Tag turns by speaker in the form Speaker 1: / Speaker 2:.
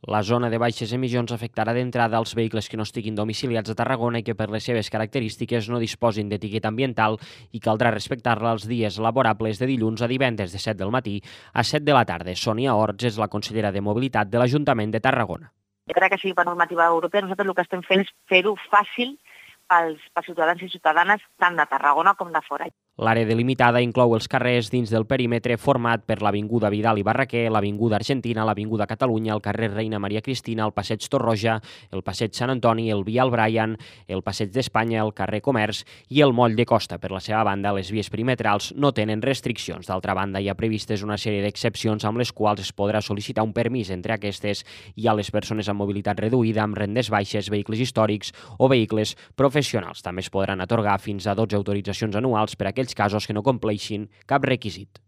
Speaker 1: La zona de baixes emissions afectarà d'entrada als vehicles que no estiguin domiciliats a Tarragona i que per les seves característiques no disposin d'etiqueta ambiental i caldrà respectar-la els dies laborables de dilluns a divendres de 7 del matí a 7 de la tarda. Sònia Orts és la consellera de Mobilitat de l'Ajuntament de Tarragona.
Speaker 2: Encara que sigui per normativa europea, nosaltres el que estem fent és fer-ho fàcil pels ciutadans i ciutadanes tant de Tarragona com de fora.
Speaker 1: L'àrea delimitada inclou els carrers dins del perímetre format per l'Avinguda Vidal i Barraquer, l'Avinguda Argentina, l'Avinguda Catalunya, el carrer Reina Maria Cristina, el Passeig Torroja, el Passeig Sant Antoni, el Vial Brian, el Passeig d'Espanya, el carrer Comerç i el Moll de Costa. Per la seva banda, les vies perimetrals no tenen restriccions. D'altra banda, hi ha previstes una sèrie d'excepcions amb les quals es podrà sol·licitar un permís. Entre aquestes hi ha les persones amb mobilitat reduïda, amb rendes baixes, vehicles històrics o vehicles professionals. També es podran atorgar fins a 12 autoritzacions anuals per a aquells casos que no compleixin cap requisit.